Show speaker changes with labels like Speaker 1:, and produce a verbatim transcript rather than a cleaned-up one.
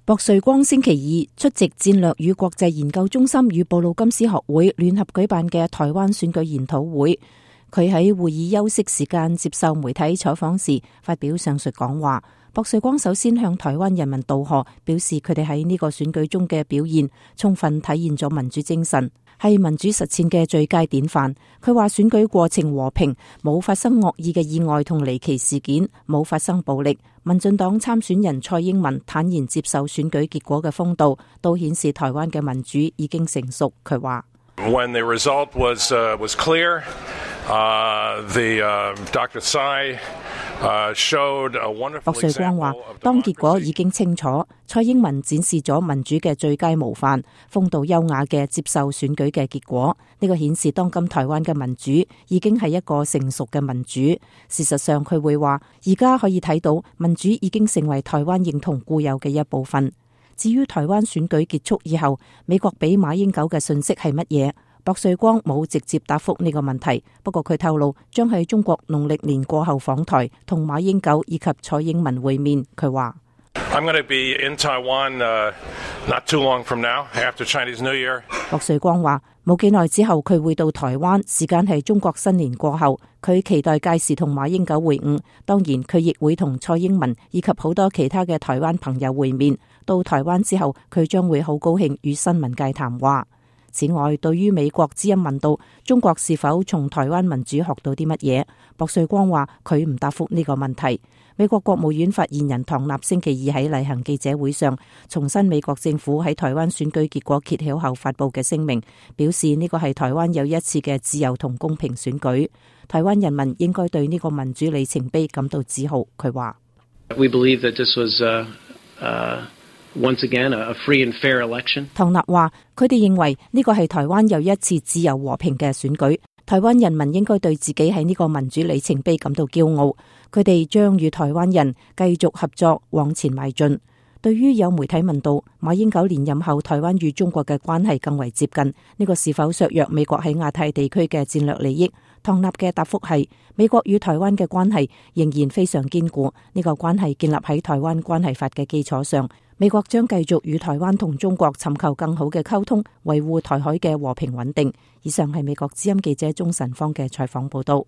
Speaker 1: 薄瑞光星期二出席戰略與國際研究中心與布魯金斯學會聯合舉辦嘅台灣選舉研討會。佢喺會議休息時間接受媒體採訪時發表上述講話。薄瑞光首先向台灣人民道賀，表示佢哋喺呢個選舉中嘅表現充分體現咗民主精神，係民主實踐嘅最佳典範。佢話選舉過程和平，冇發生惡意嘅意外同離奇事件，冇發生暴力。民進黨參選人蔡英文坦然接受選舉結果嘅風度，都顯示台灣嘅民主已經成熟。佢話
Speaker 2: When the result was, uh, was clear, uh, the, uh, Doctor Tsai Uh, 薄瑞光話，當結果已經清楚，蔡英文展示咗民主嘅最佳模範，風度優雅嘅接受選舉嘅結果。呢個顯示當今台灣嘅民主已經係一個成熟嘅民主。事實上，佢會話，而家可以睇到民主已經成為台灣認同固有嘅一部分。至於台灣選舉結束以後，美國俾馬英九嘅訊息係乜嘢？薄瑞光冇直接答覆呢個問題，不過佢透露將喺中國農曆年過後訪台，同馬英九以及蔡英文會面。佢話I'm going to be in Taiwan, uh, not too long from now, after Chinese New Year.
Speaker 1: 薄瑞光話冇幾耐之後佢會到台灣，時間係中國新年過後，佢期待屆時同馬英九會晤，當然佢亦會同蔡英文以及好多其他嘅台灣朋友會面。到台灣之後，佢將會好高興與新聞界談話。此外，對於美國之音問到中國是否從台灣民主學到啲乜嘢，薄瑞光話佢唔答覆呢個問題。美國國務院發言人唐納星期二喺例行記者會上重申美國政府喺台灣選舉結果揭曉後發布嘅聲明，表示呢個係台灣又一次嘅自由同公平選舉，台灣人民應該對呢個民主里程碑感到自豪。佢話
Speaker 3: We believe that this was, uh, uh Once again, a free and fair election.
Speaker 1: 唐納話：佢哋認為呢個係台灣又一次自由和平嘅選舉，台灣人民應該對自己喺呢個民主里程碑感到驕傲。佢哋將與台灣人繼續合作往前邁進。對於有媒體問到馬英九連任後台灣與中國嘅關係更為接近，呢個是否削弱美國喺亞太地區嘅戰略利益？唐納嘅答覆係：美國與台灣嘅關係仍然非常堅固，呢個關係建立喺台灣關係法嘅基礎上。美國將繼續與台灣同中國尋求更好嘅溝通，維護台海嘅和平穩定。以上係美國之音記者鍾晨芳嘅採訪報道。